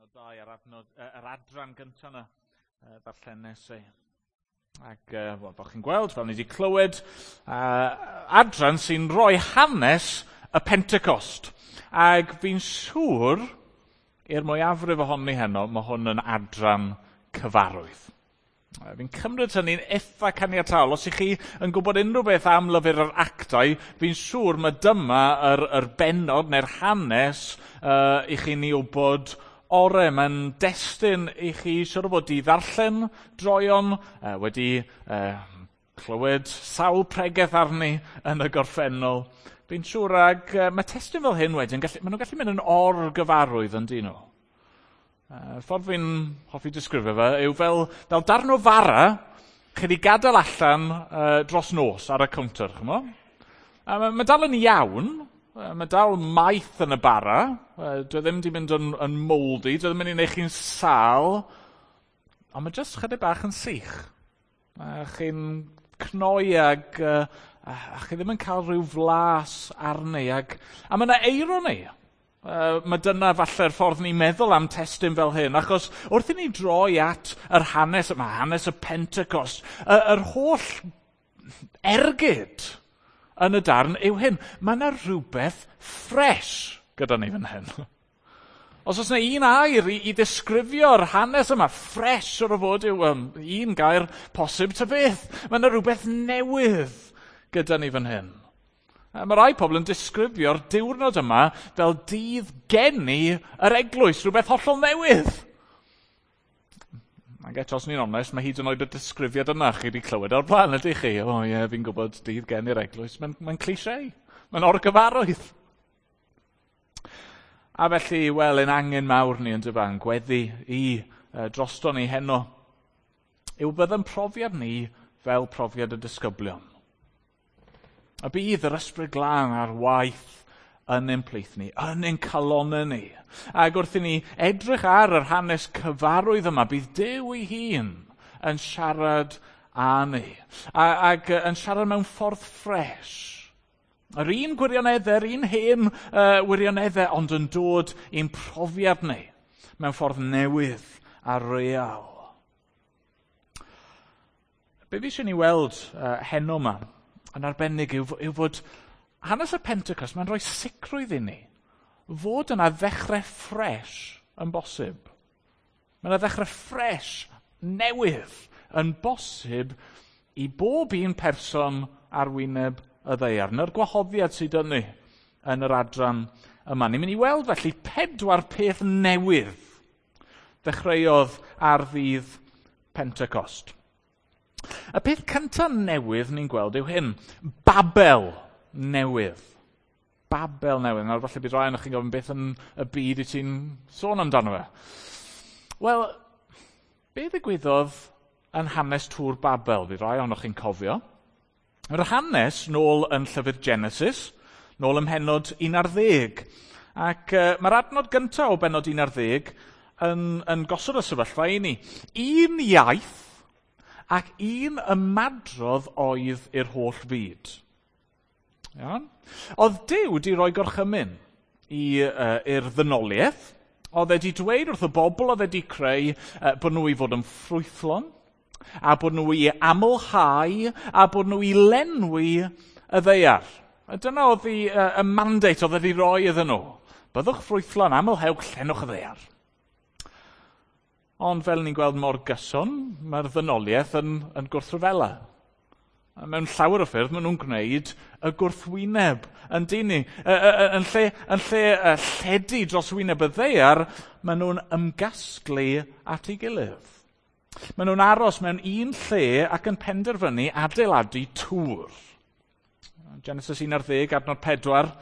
Pennod 2 a'r adnod, yr adran gyntaf yna ddarllenes i. Ac wel, fel chi'n gweld, fel ni wedi clywed, adran sy'n rhoi hanes y Pentecost. Ac fi'n siŵr, i'r mwyafrif ohoni heno, mae hwn yn adran cyfarwydd. Fi'n cymryd hynny'n eitha caniataol. Os ych chi yn gwybod unrhyw beth am lyfr yr actau, fi'n siŵr mae dyma yr bennod neu'r hanes i chi'n ei wybod ore. Mae'n destun i chi siŵr o fod i ddarllen droeon, wedi clywed sawl pregeth arni yn y gorffennol. Fi'n siŵr ag mae testun fel hyn wedyn, maen nhw'n gallu mynd yn orgyfarwydd yn dyn nhw. Ffordd fi'n hoffi disgrifio fe yw fel darn o fara chi wedi gadael allan dros nos ar y cownter, ch'mo'? A mae dal yn iawn, mae dal maeth yn y bara, dwi e ddim wedi mynd yn mouldy, dwi e ddim yn mynd i wneud chi'n sâl, ond mae jyst chydig bach yn sych. Chi'n cnoi ag a chi ddim yn cael rhyw flas arni, a mae yna eironi. Mae dyna falle'r ffordd ni'n meddwl am testun fel hyn, achos wrth i ni droi at yr hanes yma, hanes y Pentecost, yr holl ergyd yn y darn yw hyn. Mae yna rhywbeth ffres gyda ni fan hyn. Os oes yna un air i ddisgrifio'r hanes yma, ffres o'r fod yw un gair posib ta beth. Mae yna rhywbeth newydd gyda ni fan hyn. Mae rai pobl yn disgrifio'r diwrnod yma fel dydd geni yr eglwys, rhywbeth hollol newydd. Ac eto, os ni'n onest, mae hyd yn oed y disgrifiad yna chi wedi clywed o'r blaen, ydych chi? O ie, fi'n gwybod dydd geni'r eglwys. Mae'n cliché. Mae'n orgyfarwydd. A felly, wel, ein angen mawr ni yn dyfa, yn gweddi i drosto ni heno, yw bydd yn profiad ni fel profiad y disgyblion. A bydd yr Ysbryd Glân ar waith yn ein plith ni, yn ein calonnau ni. Ac wrth i ni edrych ar yr hanes cyfarwydd yma, bydd Duw ei hun yn siarad â ni. Ac yn siarad mewn ffordd ffres. Yr un gwirioneddau, yr un hen wirioneddau, ond yn dod i'n profiad ni mewn ffordd newydd a real. Be fi eisiau ni weld heno yma, yn arbennig yw fod hanes y Pentecost, mae'n rhoi sicrwydd i ni fod yna ddechrau ffres yn bosib. Mae yna ddechrau ffres newydd yn bosib i bob un person ar wyneb y ddaear. Na'r gwahoddiad sydd yn ni yn yr adran yma. Ni'n mynd i weld felly 4 peth newydd ddechreuodd ar ddydd Pentecost. Y peth cyntaf newydd ni'n gweld yw hyn, Babel newydd. Babel newydd. Nawr falle bydd rai ohonoch chi'n gofyn beth yn y byd i ti'n sôn amdano fe. Wel, be ddigwyddodd yn hanes Tŵr Babel? Bydd rai ohonoch chi'n cofio. Yr hanes nôl yn llyfr Genesis, nôl ym mhennod 11. Ac mae'r adnod gyntaf o bennod 11 yn gosod y sefyllfa i ni. Un iaith ac un ymadrodd oedd i'r holl fyd. Iawn? Oedd Duw wedi rhoi gorchymyn i'r ddynoliaeth. Oedd e wedi dweud wrth y bobl oedd e wedi creu bod nhw i fod yn ffrwythlon, a bod nhw i amlhau, a bod nhw i lenwi y ddaear. A dyna oedd y mandate oedd e wedi rhoi iddyn nhw. Byddwch ffrwythlon, amlhewch, llenwch y ddaear. Ond fel ni'n gweld mor gyson, mae'r ddynoliaeth yn gwrthryfela. A mewn llawer o ffyrdd, maen nhw'n gwneud y gwrthwyneb yn dyn ni. Yn lle lledu dros wyneb y ddaear, maen nhw'n ymgasglu at ei gilydd. Maen nhw'n aros mewn un lle ac yn penderfynu adeiladu tŵr. Genesis 11, adnod 4.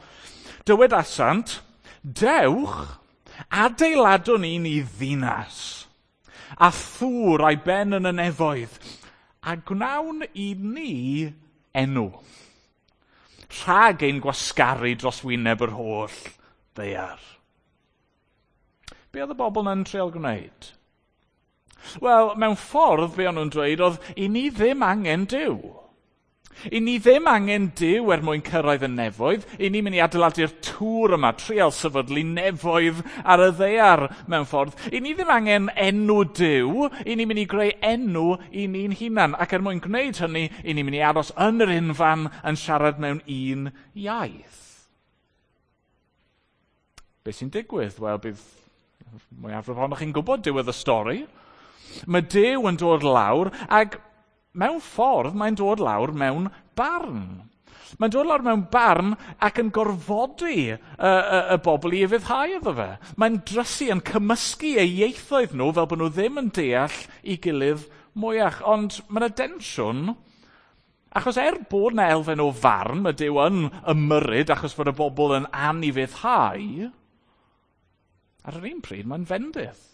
Dywedasant, dewch, adeiladwn ni ni ddinas, a thŵr a'i ben yn y nefoedd, a gwnawn i ni enw, rhag ein gwasgaru dros wyneb yr holl ddaear. Be oedd y bobl yna'n treial gwneud? Wel, mewn ffordd, be o'n nhw'n dweud oedd, i ni ddim angen Duw. I ni ddim angen Duw er mwyn cyrraedd y nefoedd. I ni'n mynd i adeiladu'r tŵr yma, trial sefydlu nefoedd ar y ddaear mewn ffordd. I ni ddim angen enw Duw. I ni'n mynd i greu enw i ni'n hunan. Ac er mwyn gwneud hynny, i ni'n mynd i aros yn yr unfan yn siarad mewn un iaith. Be sy'n digwydd? Wel, bydd mwyafrif ohonoch chi'n gwybod diwedd y stori. Mae Duw yn dod lawr ac mewn ffordd mae'n dod lawr mewn barn. Mae'n dod lawr mewn barn ac yn gorfodi y bobl i ufuddhau iddo fe. Mae'n drysu yn cymysgu eu ieithoedd nhw fel bod nhw ddim yn deall ei gilydd mwyach. Ond mae yna densiwn, achos er bod yna elfen o farn, mae Duw yn ymyrryd achos bod y bobl yn anufuddhau, ar yr un pryd mae'n fendith.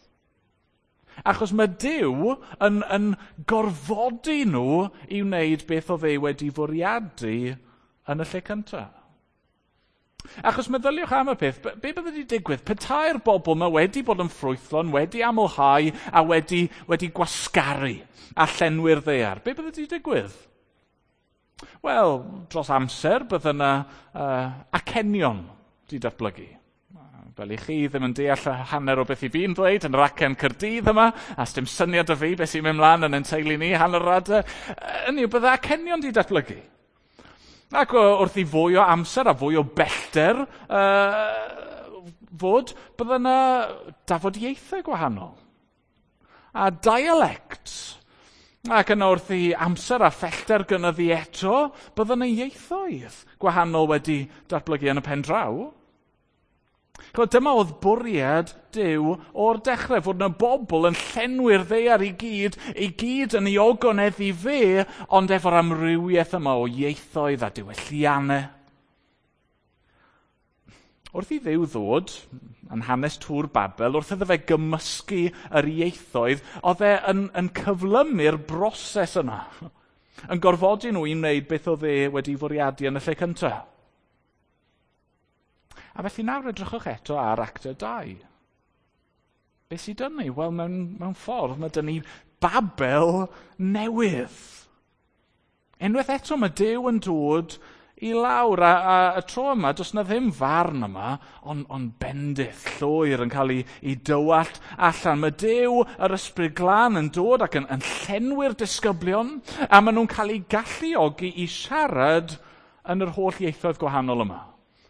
Achos mae Duw yn gorfodi nhw i wneud beth oedd e wedi fwriadu yn y lle cyntaf. Achos meddyliwch am y peth, be bydde wedi digwydd? Petai'r bobl yma wedi bod yn ffrwythlon, wedi amlhau a wedi gwasgaru a llenwi'r ddaear, be bydde wedi digwydd? Wel, dros amser bydde yna acenion wedi datblygu. Fel i chi ddim yn deall y hanner o beth i fi'n dweud yn yr acen Caerdydd yma, a sdim syniad o fi beth sy'n mynd mlaen yn ein teulu ni hanner yr adeg. Hynny yw, bydde acenion wedi datblygu. Ac wrth i fwy o amser a fwy o bellter fod, bydde yna dafodieithau gwahanol. A dialects. Ac yna wrth i amser a phellter gynyddu eto, bydde yna ieithoedd gwahanol wedi datblygu yn y pen draw. Ch'mod, dyma oedd bwriad Duw o'r dechrau, fod yna bobl yn llenwi'r ddaear i gyd yn ei ogoneddu fe, ond efo'r amrywiaeth yma o ieithoedd a diwylliannau. Wrth i Dduw ddod yn hanes Tŵr Babel, wrth iddo fe gymysgu yr ieithoedd, oedd e yn cyflymu'r broses yma, yn gorfodi nhw i wneud beth oedd e wedi fwriadu yn y lle cyntaf. A felly nawr edrychwch eto ar Actau 2. Be sydd dyn ni? Wel, mewn ffordd, mae dyn ni Babel newydd. Unwaith eto mae Duw yn dod i lawr, a y tro yma, does na ddim farn yma, ond bendith llwyr yn cael ei dywallt allan. Mae Duw, yr Ysbryd Glân, yn dod ac yn llenwi'r disgyblion, a maen nhw'n cael eu galluogi i siarad yn yr holl ieithoedd gwahanol yma.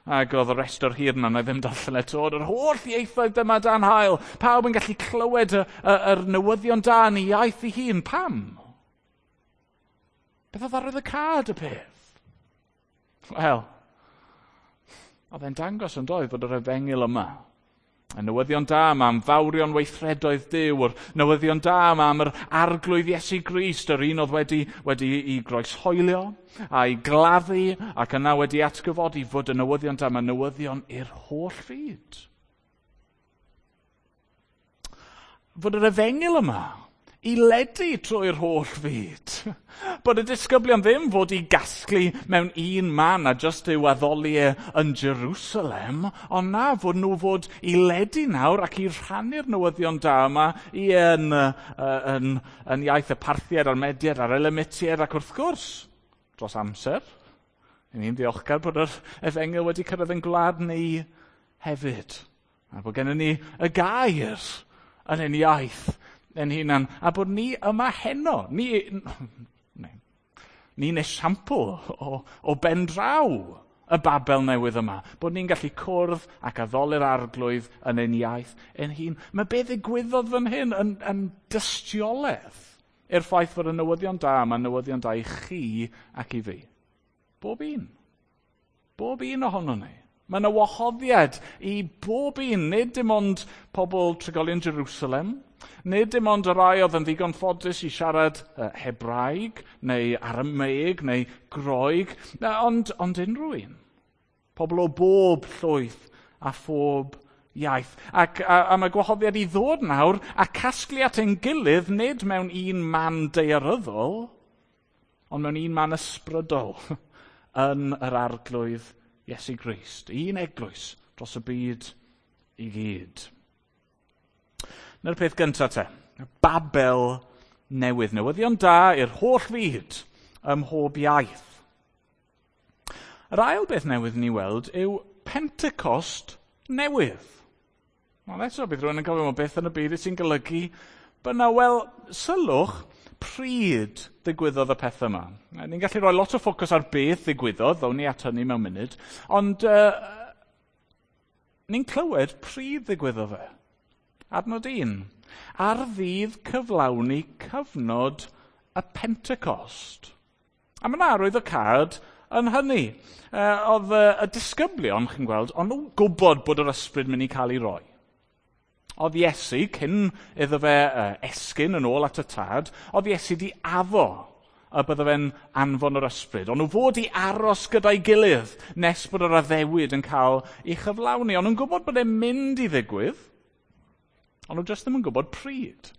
Ac oedd y restr hir yna, na i ddim darllen eto, oedd yr holl ieithoedd dyma dan haul. Pawb yn gallu clywed yr newyddion da yn ei iaith ei hun. Pam? Beth oedd arwyddocâd y peth? Wel, oedd e'n dangos yn doedd bod yr efengyl yma, y newyddion da yma am fawrion weithredoedd Duw, yr newyddion da yma am yr Arglwydd Iesu Grist, yr un oedd wedi ei groeshoelio a'i gladdu ac yna wedi atgyfodi, fod y newyddion da yma newyddion i'r holl fyd. Fod yr efengyl yma i ledu trwy'r holl fyd. Bod y disgyblion ddim fod i gasglu mewn un man a jyst i'w addoli e yn Jerusalem, ond na, fod nhw fod i ledu nawr ac i rhannu'r newyddion da yma i yn iaith y Parthiaid a'r Mediaid a'r Elamitiaid ac wrth gwrs, dros amser, i ni'n ddiolchgar bod yr efengyl wedi cyrraedd yn gwlad ni hefyd. A bod gennym ni y gair yn ein iaith ein hunan, a bod ni yma heno. Ni'n esiampl o ben draw y Babel newydd yma. Bod ni'n gallu cwrdd ac addoli'r Arglwydd yn ein iaith ein hun. Mae be ddigwyddodd fan hyn yn dystiolaeth i'r ffaith fod y newyddion da yma, newyddion da i chi ac i fi. Bob un. Bob un ohonon ni. Mae yna wahoddiad i bob un, nid dim ond pobl trigolion Jerusalem, nid dim ond y rai oedd yn ddigon ffodus i siarad Hebraeg neu Arameeg neu Groeg, ond unrhyw un. Pobl o bob llwyth a phob iaith. Ac a mae gwahoddiad i ddod nawr a casglu at ein gilydd nid mewn un man daearyddol, ond mewn un man ysbrydol yn yr Arglwydd Iesu Grist. Un eglwys dros y byd i gyd. Na'r peth gyntaf te, Babel newydd. Newyddion da i'r holl fyd ym mhob iaith. Yr ail beth newydd ni weld yw Pentecost newydd. Ond eto, bydd rhywun yn gofyn, "Wel, beth yn y byd sy'n golygu byna?" Wel, sylwch pryd ddigwyddodd y peth yma. Ni'n gallu rhoi lot o ffocws ar beth ddigwyddodd, ddown ni at hynny mewn munud, ond ni'n clywed pryd ddigwyddodd e. Adnod 1. Ar ddydd cyflawni cyfnod y Pentecost. A mae yna arwyddocâd yn hynny. Oedd y disgyblion, chi'n gweld, ond nhw'n gwybod bod yr ysbryd mynd i cael ei roi. Oedd Iesu, cyn iddo fe esgyn yn ôl at y Tad, oedd Iesu di addo y bydde fe'n anfon yr ysbryd. Ond nhw fod i aros gyda'i gilydd nes bod yr addewid yn cael ei chyflawni. Ond nhw'n gwybod bod e'n mynd i ddigwydd, ond nhw jyst ddim yn gwybod pryd.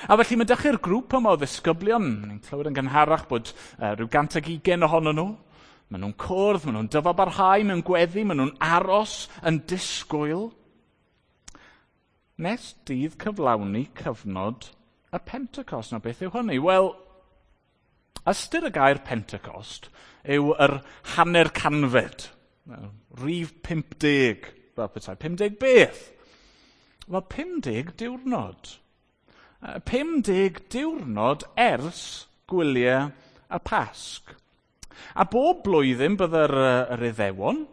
A felly mae dechrau'r grŵp yma o ddisgyblion, ni'n clywed yn gynharach bod rhyw 120 ohonyn nhw. Maen nhw'n cwrdd, maen nhw'n dyfalbarhau mewn gweddi, maen nhw'n aros yn disgwyl. Nes dydd cyflawni cyfnod y Pentecost. Nawr, beth yw hynny? Wel, ystyr y gair Pentecost yw yr hanner canfed. Rhif 50, fel petai. 50 beth? Wel, 50 diwrnod. 50 diwrnod ers gwyliau y Pasg. A bob blwyddyn bydde'r yr Iddewon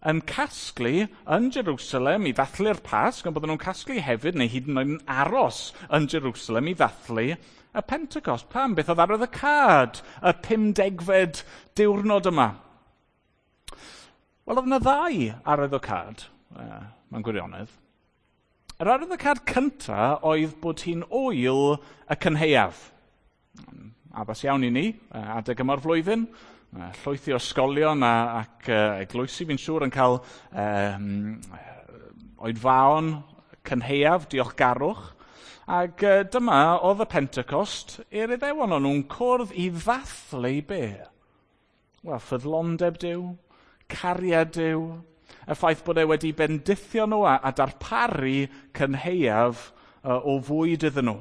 yn casglu yn Jerusalem i ddathlu'r Pasg, ond bydden nhw'n casglu hefyd, neu hyd yn oed yn aros yn Jerusalem i ddathlu y Pentecost. Pam? Beth oedd arwyddocâd y 50fed diwrnod yma? Wel, oedd yna ddau arwyddocâd, mewn gwirionedd. Yr arwyddocâd cynta oedd bod hi'n ŵyl y cynhaeaf. Addas iawn i ni, adeg yma'r flwyddyn. Llwythi o ysgolion ac eglwysi, fi'n siŵr, yn cael oedfaon cynhaeaf, diolchgarwch. Ac dyma oedd y Pentecost i'r Iddewon. O'n nhw'n cwrdd i ddathlu be? Wel, ffyddlondeb Duw, cariad Duw, y ffaith bod e wedi bendithio nhw a darparu cynhaeaf o fwyd iddyn nhw.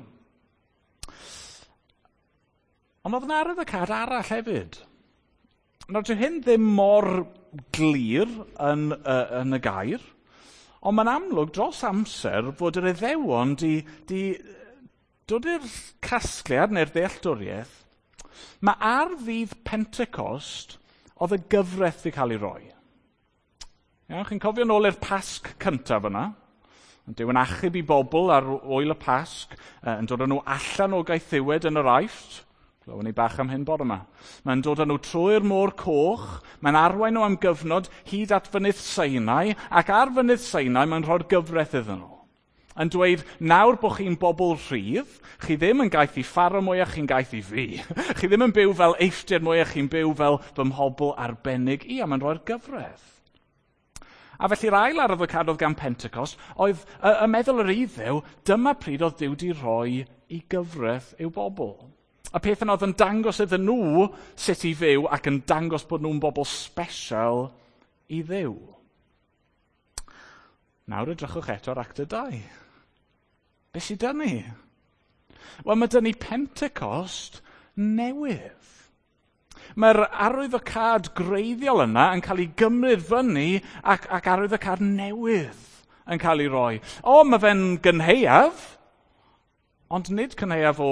Ond oedd yna arwyddocâd arall hefyd. Nawr, dyw hyn ddim mor glir yn y gair, ond mae'n amlwg dros amser fod yr Iddewon di dod i'r casgliad neu'r ddealltwriaeth, mae ar ddydd Pentecost oedd y gyfraith wedi cael ei roi. Iawn, chi'n cofio nôl i'r Pasg cyntaf yna? Duw yn achub i bobl ar ŵyl y Pasg, yn dod â nhw allan o gaethiwed yn yr Aifft. Glywon ni bach am hyn bore yma. Mae'n dod â nhw trwy'r Môr Coch, mae'n arwain nhw am gyfnod hyd at Fynydd Sinai, ac ar Fynydd Sinai mae'n rhoi'r gyfraith iddyn nhw. Yn dweud, nawr bod chi'n bobl rhydd, chi ddim yn gaeth i Pharaoh mwyach, chi'n gaeth i fi. Chi ddim yn byw fel Eifftiaid mwyach, chi'n byw fel fy mhobl arbennig i, a mae'n rhoi'r gyfraith. A felly'r ail arwyddocâd oedd gan Pentecost oedd y meddwl yr Iddew, dyma pryd oedd Duw di rhoi i gyfraith i'w bobl. Y peth yna oedd yn dangos iddyn nhw sut i fyw ac yn dangos bod nhw'n bobl special i Dduw. Nawr edrychwch eto ar Actau 2. Be sydd 'da ni? Wel, mae 'da ni Pentecost newydd. Mae'r arwyddocâd greiddiol yna yn cael ei gymryd fyny ac arwyddocâd newydd yn cael ei roi. O, mae fe'n gynhaeaf, ond nid cynhaeaf o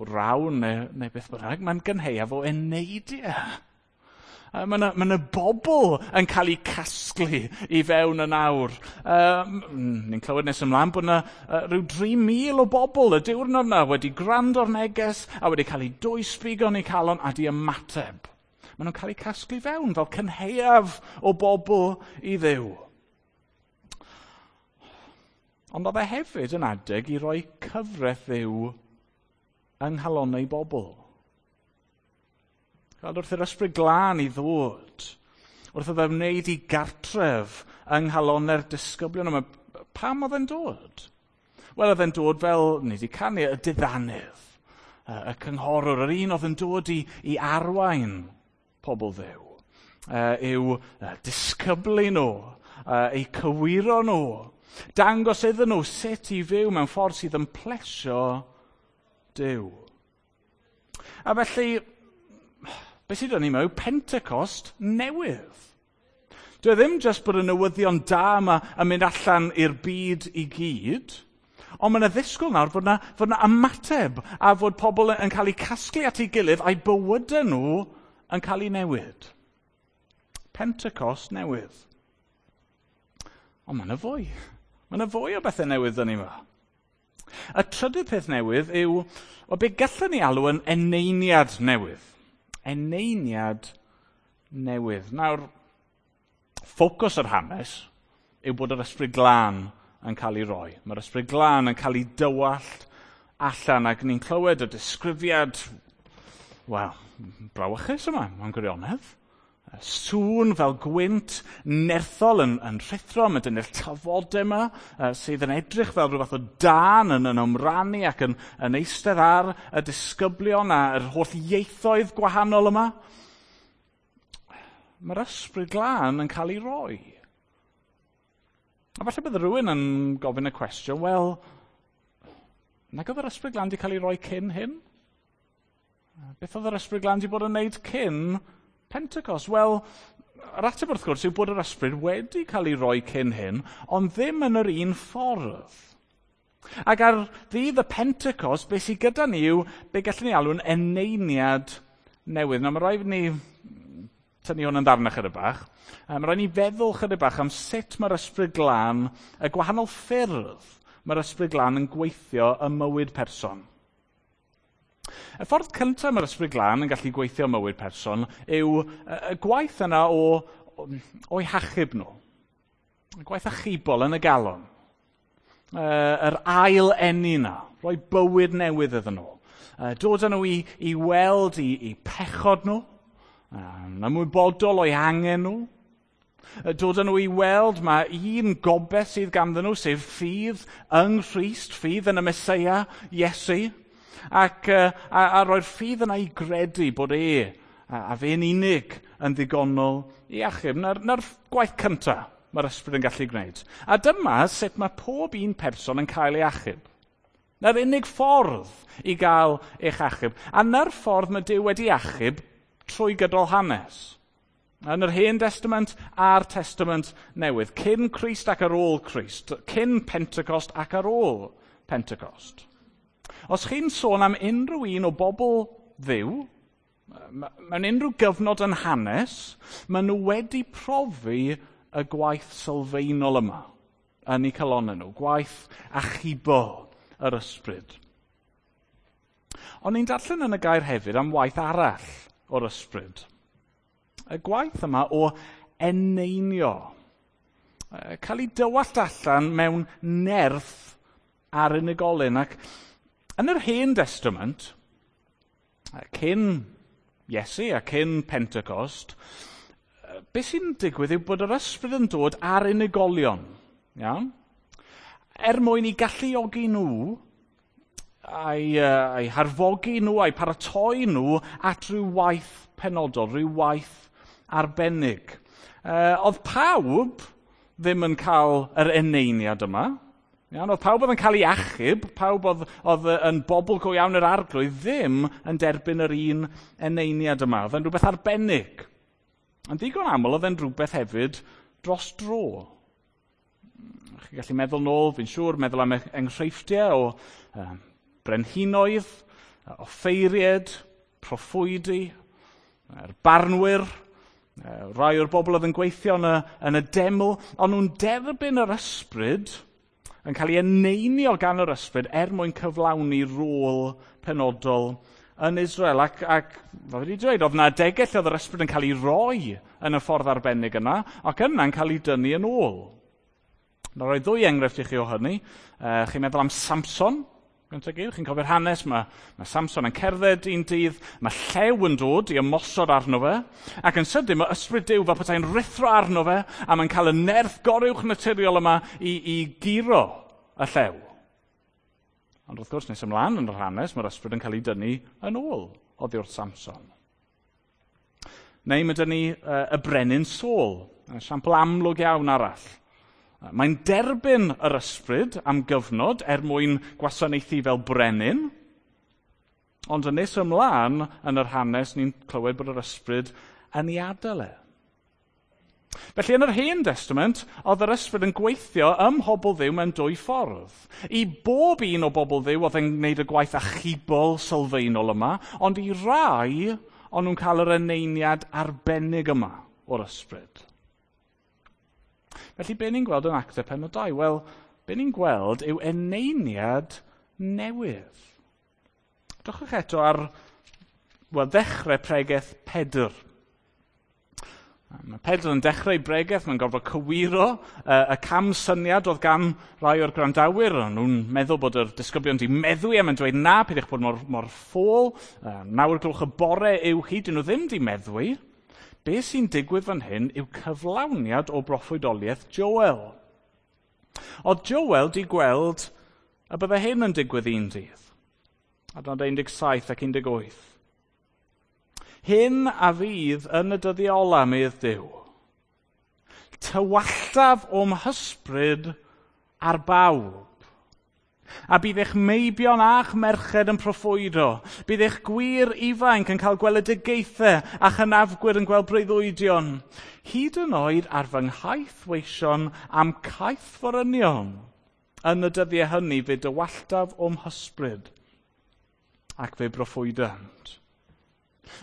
rawn neu beth bynnag, mae'n gynhaeaf o eneidiau. Mae yna bobl yn cael eu casglu i fewn yn awr. Ni'n clywed nes ymlaen bod yna rhyw 3,000 o bobl y diwrnod yna wedi gwrando'r neges a wedi cael eu dwysbigo yn eu calon a di ymateb. Maen nhw'n cael eu casglu fewn fel cynhaeaf o bobl i Dduw. Ond oedd e hefyd yn adeg i roi cyfraith Dduw yng nghalonnau bobl. Gweld, wrth yr ysbryd glân i ddod, wrth iddo wneud i gartref yng nghalonnau'r disgyblion yma, pam oedd e'n dod? Wel, oedd e'n dod fel, ni wedi canu, y diddanydd, y cynghorwr, yr un oedd yn dod i arwain pobl Dduw, i'w disgyblu nhw, eu cywiro nhw, dangos iddyn nhw sut i fyw mewn ffordd sydd yn plesio Duw. A felly, Beth sydd 'da ni yma yw Pentecost newydd. Dyw e ddim jyst bod y newyddion da yma yn mynd allan i'r byd i gyd, ond mae yna ddisgwyl nawr fod 'na ymateb a fod pobl yn cael eu casglu at ei gilydd a'i bywydau nhw yn cael eu newid. Pentecost newydd. Ond mae yna fwy. Mae yna fwy o bethau newydd 'da ni yma. Y trydydd peth newydd yw o be gallwn ni alw yn eneiniad newydd. Eneiniad newydd. Nawr, ffocws yr hanes yw bod yr Ysbryd Glân yn cael ei roi. Mae'r Ysbryd Glân yn cael ei dywallt allan ac ni'n clywed y disgrifiad, wel, brawychus yma, mewn gwirionedd. Sŵn fel gwynt nerthol yn rhuthro, mae dynnu'r tafodau yma sydd yn edrych fel rhyw fath o dân yn ymrannu ac yn eistedd ar y disgyblion a'r holl ieithoedd gwahanol yma. Mae'r Ysbryd Glân yn cael ei roi. A falle bydd rhywun yn gofyn y cwestiwn, wel, nag oedd yr Ysbryd Glân wedi cael ei roi cyn hyn? Beth oedd yr Ysbryd Glân wedi bod yn wneud cyn Pentecost? Wel, yr ateb wrth gwrs yw bod yr Ysbryd wedi cael ei roi cyn hyn, ond ddim yn yr un ffordd. Ac ar ddydd y Pentecost, beth sydd gyda ni yw be gallwn ni alw'n eneiniad newydd. Nawr, mae rhaid ni tynnu hwn yn ddarnau chydig bach. Mae rhaid ni feddwl chydig bach am sut mae'r Ysbryd Glân, y gwahanol ffyrdd mae'r Ysbryd Glân yn gweithio ym mywyd person. Y ffordd cyntaf mae'r Ysbryd Glân yn gallu gweithio ym mywyd person yw y gwaith yna o'i hachub nhw. Y gwaith achubol yn y galon. Yr ail eni yna, rhoi bywyd newydd iddyn nhw. Dod â nhw i weld i pechod nhw, yn ymwybodol o'i angen nhw. Dod â nhw i weld mae un gobaith sydd ganddyn nhw, sef ffydd yng Nghrist, ffydd yn y Meseia, Iesu, ac a roi'r ffydd yna i gredu bod e a fe'n unig yn ddigonol i achub. Na'r gwaith cyntaf mae'r Ysbryd yn gallu gwneud. A dyma sut mae pob un person yn cael ei achub. Na'r unig ffordd i gael eich achub. A na'r ffordd mae Duw wedi achub trwy gydol hanes. Yn yr Hen Testament a'r Testament Newydd. Cyn Crist ac ar ôl Crist. Cyn Pentecost ac ar ôl Pentecost. Os chi'n sôn am unrhyw un o bobl Dduw, mewn unrhyw gyfnod yn hanes, maen nhw wedi profi y gwaith sylfaenol yma yn eu calonnau nhw, gwaith achubol yr Ysbryd. Ond ni'n darllen yn y gair hefyd am waith arall o'r Ysbryd. Y gwaith yma o eneinio, cael ei dywallt allan mewn nerth ar unigolyn. Ac yn yr Hen Testament, cyn Iesu a cyn Pentecost, beth sy'n digwydd yw bod yr Ysbryd yn dod ar unigolion, iawn? Er mwyn i galluogi nhw, a'i harfogi nhw, a'i paratoi nhw at ryw waith penodol, ryw waith arbennig. Oedd pawb ddim yn cael yr eneiniad yma. Iawn, oedd pawb oedd yn cael ei achub, pawb oedd yn bobl go iawn yr Arglwydd ddim yn derbyn yr un eneiniad yma. Oedd e'n rhywbeth arbennig. Yn ddigon aml oedd e'n rhywbeth hefyd dros dro. Chi'n gallu meddwl nôl, fi'n siŵr, meddwl am enghreifftiau o brenhinoedd, offeiried, proffwydi, yr barnwyr, rai o'r bobl oedd yn gweithio yn y deml, ond nhw'n derbyn yr Ysbryd, yn cael ei eneinio gan yr Ysbryd er mwyn cyflawni rôl penodol yn Israel. Ac fel wedi dweud, oedd yna adegau lle oedd yr Ysbryd yn cael ei roi yn y ffordd arbennig yna, ac yna'n cael ei dynnu yn ôl. Na roi ddwy enghraifft i chi o hynny. Chi'n meddwl am Samson, gyntaf gyd, chi'n cofio'r hanes, mae Samson yn cerdded un dydd, mae llew yn dod i ymosod arno fe, ac yn sydyn mae Ysbryd Duw fel petai'n rhuthro arno fe, a mae'n cael y nerth goruwch naturiol yma i guro y llew. Ond wrth gwrs, nes ymlaen yn yr hanes, mae'r Ysbryd yn cael ei dynnu yn ôl oddi wrth Samson. Neu mae dynnu y brenin Saul, esiampl amlwg iawn arall. Mae'n derbyn yr Ysbryd am gyfnod er mwyn gwasanaethu fel brenin, Ond yn nes ymlaen yn yr hanes, ni'n clywed bod yr ysbryd yn ei adael e. Felly yn yr Hen Testament, oedd yr ysbryd yn gweithio ym mhobl Dduw mewn dwy ffordd. I bob un o bobl Dduw oedd yn gwneud y gwaith achubol sylfaenol yma, ond i rai, o'n nhw'n cael yr eneiniad arbennig yma o'r ysbryd. Felly be ni'n gweld yn Actau pennod 2? Wel, be ni'n gweld yw eneiniad newydd. Drychwch eto ar, wel, ddechrau pregeth Pedr. Mae Pedr yn dechrau bregeth, mae'n gorfod cywiro y camsyniad oedd gan rai o'r gwrandawyr. O'n nhw'n meddwl bod yr disgyblion wedi meddwi a mae'n dweud na, peidiwch bod mor ffôl. 9 gloch y bore yw hi, dyn nhw ddim wedi meddwi. Be sy'n digwydd fan hyn yw cyflawniad o broffwydoliaeth Joel. Oedd Joel wedi gweld y bydde hyn yn digwydd un dydd. Adnod 17 ac 18. Hyn a fydd yn y dyddiau ola, medd Duw. Tywalltaf o'm hysbryd ar bawb. A bydd eich meibion a'ch merched yn proffwydo. Bydd eich gwir ifanc yn cael gweledigaethau a chynafgwyr yn gweld breuddwydion. Hyd yn oed ar fy nghaethweision am caethforynion. Yn y dyddiau hynny fe dywalltaf o'm hysbryd ac fe broffwydant.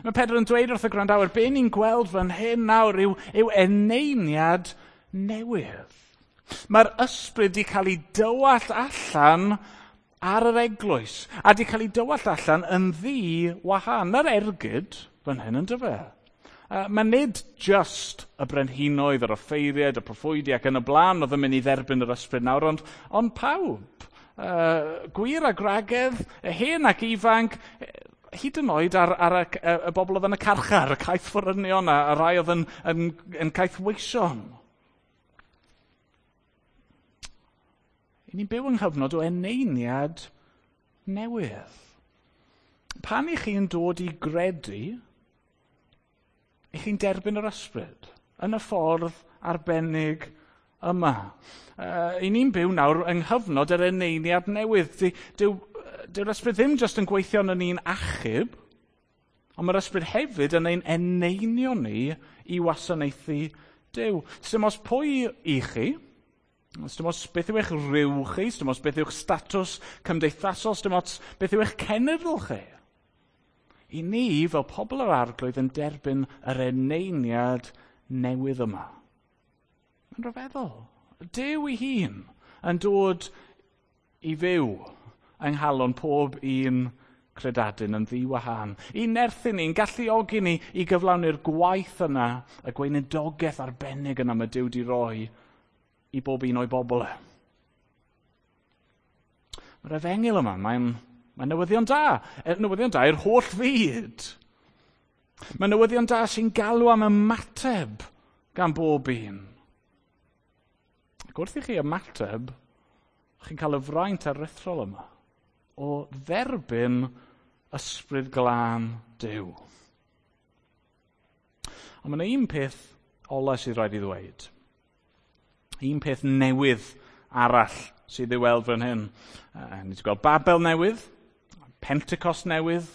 Mae Pedr yn dweud wrth y gwrandawyr, be ni'n gweld fan hyn nawr yw eneiniad newydd. Mae'r ysbryd wedi cael ei dywallt allan ar yr eglwys, a wedi cael ei dywallt allan yn ddi-wahan. Na'r ergyd fan hyn yn dyfe. Mae nid just y brenhinoedd, yr offeiriaid, y proffwydi ac yn y blaen oedd yn mynd i dderbyn yr ysbryd nawr, ond pawb. Gwir a gwragedd, hen ac ifanc, hyd yn oed ar y bobl oedd yn y carchar, y caethforynion a rai oedd yn caethweision. I ni'n byw yng nghyfnod o eneiniad newydd. Pan i chi'n dod i gredu, i chi'n derbyn yr ysbryd yn y ffordd arbennig yma. I ni'n byw nawr yng nghyfnod yr eneiniad newydd. Dyw'r ysbryd ddim jyst yn gweithio yn ni'n achub, ond mae'r ysbryd hefyd yn ein eneinio ni i wasanaethu Duw. Sdim ots pwy i chi, sdim ots beth yw eich rhyw chi, sdim ots beth yw'ch statws cymdeithasol, sdim ots beth yw eich cenedl chi. I ni, fel pobl yr Arglwydd, yn derbyn yr eneiniad newydd yma. Mae'n rhyfeddol. Duw ei hun yn dod i fyw yng nghalon pob un credadun yn ddiwahan. I nerthu ni, yn galluogi ni i gyflawni'r gwaith yna, y gweinidogaeth arbennig yna mae Duw wedi roi i bob un o'i bobl e. Mae'r efengyl yma, mae'n newyddion da. Newyddion da i'r holl fyd. Mae newyddion da sy'n galw am ymateb gan bob un. Ac wrth i chi ymateb, chi'n cael y fraint aruthrol yma o dderbyn ysbryd glân Duw. Ond mae yna un peth ola sydd rhaid i ddweud. Un peth newydd arall sydd i'w weld fan hyn. Ni wedi gweld Babel newydd, Pentecost newydd,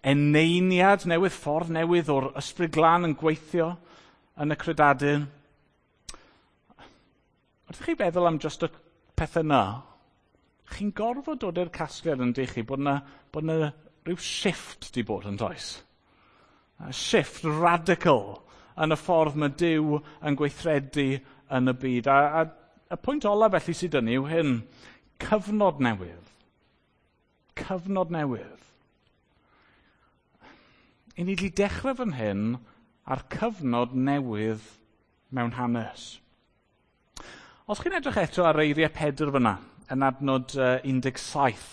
eneiniad newydd, ffordd newydd o'r ysbryd glân yn gweithio yn y credadun. Wrth i chi feddwl am just y pethau yna, chi'n gorfod dod i'r casgliad yn dych chi bod yna rhyw shift di bod yn does. A shift radical yn y ffordd mae Duw yn gweithredu yn y byd. A y pwynt ola felly sydd yn yw hyn, cyfnod newydd. Cyfnod newydd. I ni wedi dechrau fan hyn ar cyfnod newydd mewn hanes. Os chi'n edrych eto ar eiriau Pedr fyna, yn adnod 17,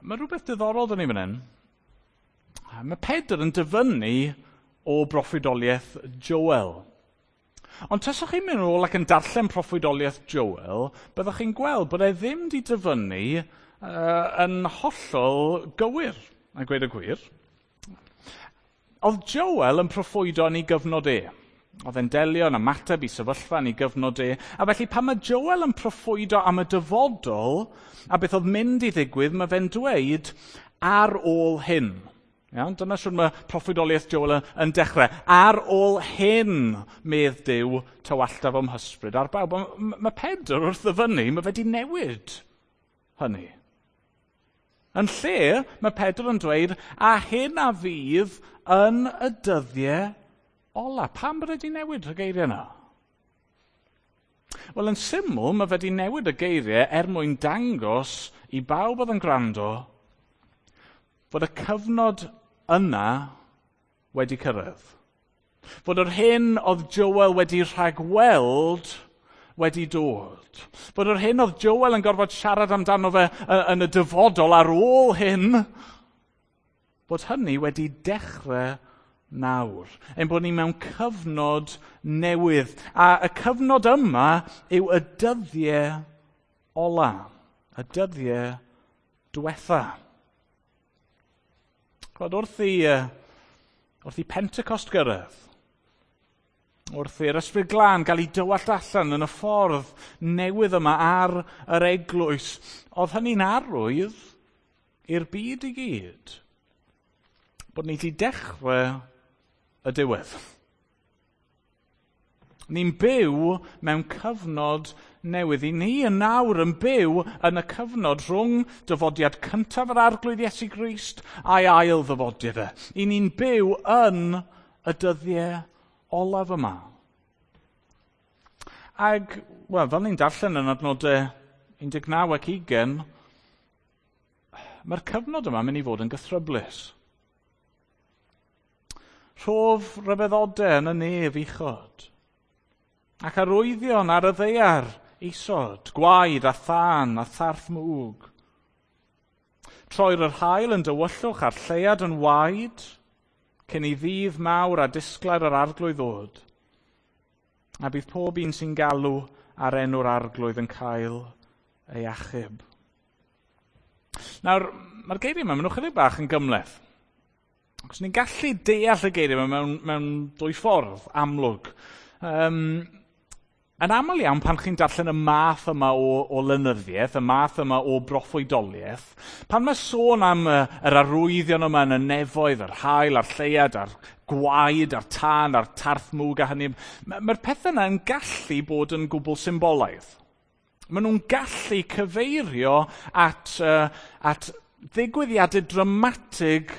mae rhywbeth diddorol dyn ni fan hyn. Mae Pedr yn dyfynnu o broffwydoliaeth Joel. Ond taswch chi'n mynd nôl ac yn darllen proffwydoliaeth Joel, byddwch chi'n gweld bod e ddim wedi dyfynnu yn hollol gywir, a gweud y gwir. Oedd Joel yn proffwydo yn ei gyfnod e. Oedd e'n delio yn ymateb i sefyllfa yn ei gyfnod e. A felly pan mae Joel yn proffwydo am y dyfodol, a beth oedd mynd i ddigwydd, mae fe'n dweud, Ar ôl hyn. Iawn, dyna siwr mae proffwydoliaeth Joel yn dechrau. Ar ôl hyn, medd Duw, tywalltaf o'm hysbryd ar bawb. Mae Pedr wrth ddyfynnu, mae fe wedi newid hynny. Yn lle, mae Pedr yn dweud, a hyn a fydd yn y dyddiau ola. Pam bod wedi newid y geiriau yna? Wel, yn syml, mae fe wedi newid y geiriau er mwyn dangos i bawb oedd yn gwrando fod y cyfnod yna wedi cyrraedd. Fod yr hyn oedd Joel wedi rhagweld wedi dod. Fod yr hyn oedd Joel yn gorfod siarad amdano fe yn y dyfodol ar ôl hyn, bod hynny wedi dechrau nawr. Ein bod ni mewn cyfnod newydd. A y cyfnod yma yw y dyddiau ola. Y dyddiau diwetha. Chwad, wrth i Pentecost gyrraedd, wrth i'r Ysbryd Glân gael ei dywallt allan yn y ffordd newydd yma ar yr eglwys, oedd hynny'n arwydd i'r byd i gyd bod ni wedi dechrau y diwedd. Ni'n byw mewn cyfnod newydd. I ni yn nawr yn byw yn y cyfnod rhwng dyfodiad cyntaf yr Arglwydd Iesu Grist a'i ail ddyfodiad e. I ni'n byw yn y dyddiau olaf yma. Ag, wel, fel ni'n darllen yn adnodau 19 ac 20, mae'r cyfnod yma mynd i fod yn gythryblus. Rhof ryfeddodau yn y nef uchod, ac arwyddion ar y ddaear isod, gwaed a thân a tharth mwg. Troir yr haul yn dywyllwch a'r lleuad yn waed, cyn i ddydd mawr a disglair yr Arglwydd ddod. A bydd pob un sy'n galw ar enw'r Arglwydd yn cael ei achub. Nawr, mae'r geiriau yma, maen nhw chydig bach yn gymhleth. Achos ni'n gallu deall y geiriau yma mewn dwy ffordd amlwg. Yn aml iawn, pan chi'n darllen y math yma o lenyddiaeth, y math yma o broffwydoliaeth, pan mae sôn am yr arwyddion yma yn y nefoedd, yr haul a'r lleuad, a'r gwaed, a'r tân, a'r tarth mwg a hynny, mae'r pethau yna yn gallu bod yn gwbl symbolaidd. Maen nhw'n gallu cyfeirio at ddigwyddiadau dramatig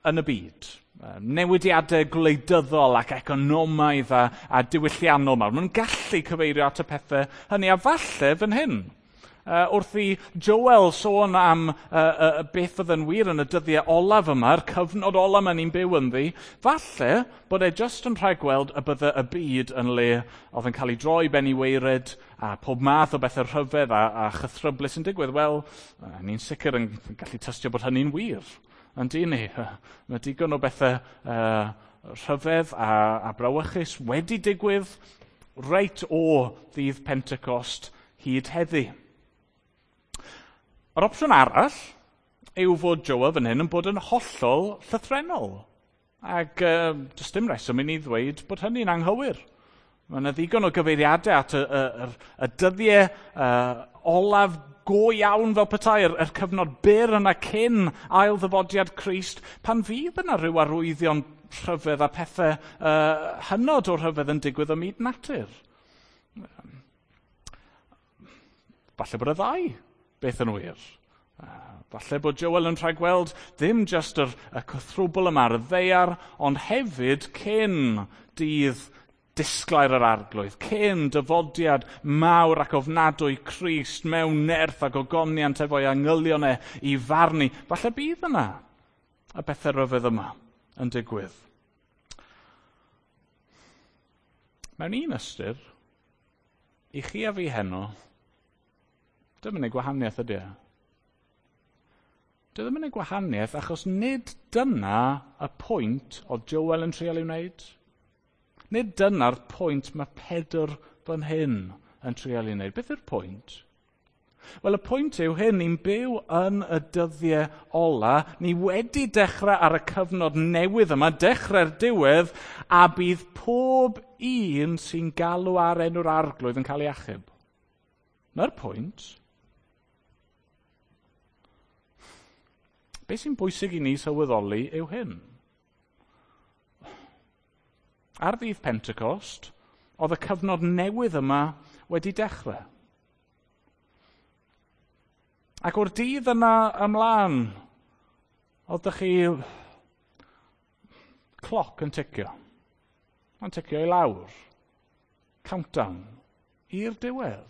yn y byd. Newidiadau gwleidyddol ac economaidd a diwylliannol mawr. Maen nhw'n gallu cyfeirio at y pethau hynny, a falle fan hyn. Wrth i Joel sôn am beth fydd yn wir yn y dyddiau olaf yma, yr cyfnod olaf yma ni'n byw ynddi, falle bod e jyst yn rhagweld y bydde y byd yn le oedd yn cael ei droi ben i waered a pob math o bethau rhyfedd a chythryblus yn digwydd. Wel, ni'n sicr yn gallu tystio bod hynny'n wir. Yndi ni, mae digon o bethau rhyfedd a brawychus wedi digwydd reit o ddydd Pentecost hyd heddi. Yr opsiwn arall yw fod Joel fan hyn yn bod yn hollol llythrennol. Ac does dim reswm i ni ddweud bod hynny'n anghywir. Mae yna ddigon o gyfeiriadau at y dyddiau olaf go iawn fel petai, yr cyfnod byr yna cyn ail ddyfodiad Crist, pan fydd yna rhyw arwyddion rhyfedd a pethau hynod o rhyfedd yn digwydd ym myd natur. Falle bod y ddau beth yn wir. Falle bod Joel yn rhagweld ddim jyst y cythrwbl yma ar y ddaear, ond hefyd cyn dydd disglair yr Arglwydd, cyn dyfodiad mawr ac ofnadwy Crist mewn nerth ac ogoniant efo'i angylion e i farnu. Falle bydd yna y bethau rhyfedd yma yn digwydd. Mewn un ystyr, i chi a fi heno, dim yn ei gwahaniaeth ydy e. Dy ddim yn ei gwahaniaeth achos nid dyna y pwynt oedd Joel yn trial ei wneud. Nid dyna'r pwynt mae Pedr fan hyn yn trial ei wneud. Beth yw'r pwynt? Wel, y pwynt yw hyn, ni'n byw yn y dyddiau ola, ni wedi dechrau ar y cyfnod newydd yma, dechrau'r diwedd, a bydd pob un sy'n galw ar enw'r Arglwydd yn cael ei achub. Na'r pwynt. Be sy'n bwysig i ni sylweddoli yw hyn. Ar ddydd Pentecost, oedd y cyfnod newydd yma wedi dechrau. Ac o'r dydd yna ymlaen, oeddech chi cloc yn ticio. Mae'n ticio i lawr. Countdown. I'r diwedd.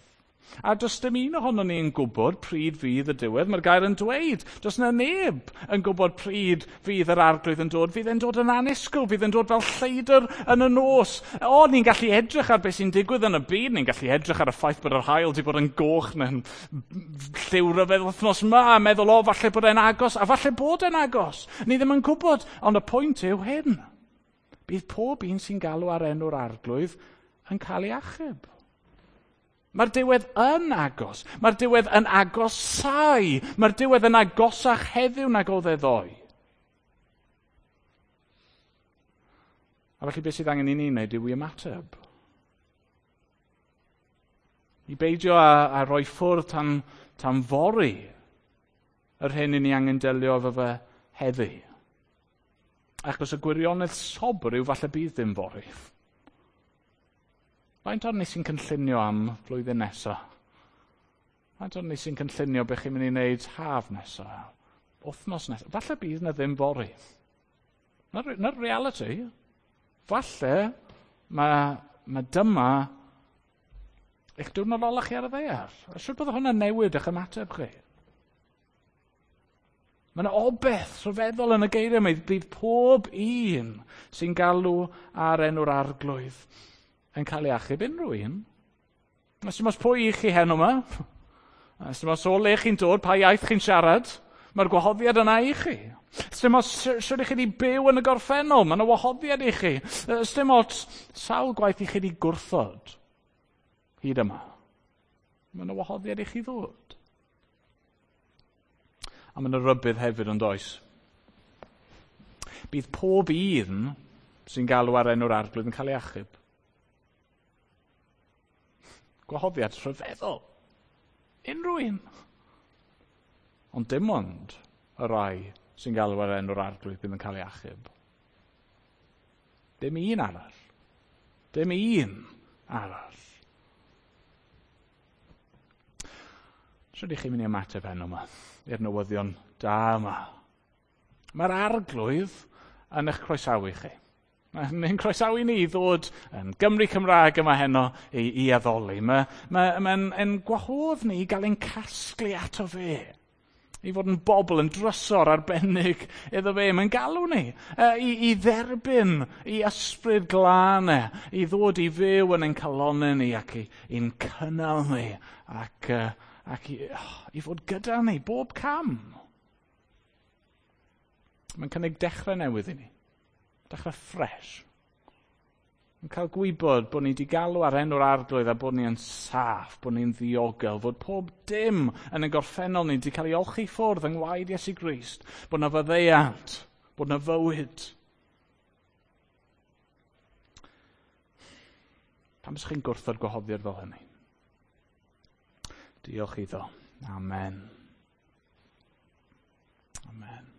A does dim un ohonon ni yn gwybod pryd fydd y diwedd. Mae'r gair yn dweud, does na neb yn gwybod pryd fydd yr arglwydd yn dod. Fydd e'n dod yn annisgwyl, fydd e'n dod fel lleidr yn y nos. O, ni'n gallu edrych ar beth sy'n digwydd yn y byd, ni'n gallu edrych ar y ffaith bod yr haul wedi bod yn goch neu'n lliw ryfedd wythnos yma, a meddwl, o, falle bod e'n agos, a falle bod e'n agos. Ni ddim yn gwybod, ond y pwynt yw hyn. Bydd pob un sy'n galw ar enw'r arglwydd yn cael ei achub. Mae'r diwedd yn agos. Mae'r diwedd yn agosau. Mae'r diwedd yn agosach heddiw nag oedd e ddoe. A felly beth sydd angen i ni wneud yw i ymateb. I beidio a rhoi ffwrdd tan fory yr hyn i ni angen delio efo fe heddi. Achos y gwirionedd sobr yw falle bydd dim fory. Faint ohonon ni sy'n cynllunio am flwyddyn nesa? Faint ohonon ni sy'n cynllunio beth chi'n mynd i wneud haf nesa? Wythnos nesa? Falle bydd na ddim fory. Na'r reality. Falle mae dyma eich diwrnod ola chi ar y ddaear. A shwt bydde hwnna'n newid eich ymateb chi? Mae yna obeth rhyfeddol yn y geiriau yma. Bydd pob un sy'n galw ar enw'r arglwydd yn cael ei achub unrhyw un. Os dim ots pwy i chi heno yma, os dim ots o le chi'n dod, pa iaith chi'n siarad, mae'r gwahoddiad yna i chi. Os dim ots sut i chi wedi byw yn y gorffennol, mae yna wahoddiad i chi. Os dim ots sawl gwaith i chi wedi gwrthod hyd yma, mae yna wahoddiad i chi ddod. A mae yna rybudd hefyd yn does. Bydd pob un sy'n galw ar enw'r arglwydd yn cael ei achub. Gwahoddiad rhyfeddol. Unrhyw un. Ond dim ond y rai sy'n galw ar enw'r arglwydd bydd yn cael ei achub. Dim un arall. Dim un arall. Sut ydych chi'n mynd i ymateb heno yma i'r newyddion da yma? Mae'r arglwydd yn eich croesawu chi. Mae'n croesawu ni i ddod yn Gymru Cymraeg yma heno i addoli. Mae'n gwahodd ni i gael ein casglu ato fe. I fod yn bobl yn drysor arbennig iddo fe. Mae'n galw ni i dderbyn i ysbryd glân e, i ddod i fyw yn ein calonnau ni ac i'n cynnal ni ac i fod gyda ni bob cam. Mae'n cynnig dechrau newydd i ni. Dechrau ffres. Yn cael gwybod bod ni wedi galw ar enw'r arglwydd a bod ni yn saff, bod ni'n ddiogel, fod pob dim yn y gorffennol ni wedi cael ei olchi ffwrdd yng ngwaed Iesu Grist, bod na faddeuant, bod na fywyd. Pam ydych chi'n gwrthod gwahoddiad fel hynny? Diolch iddo. Amen. Amen.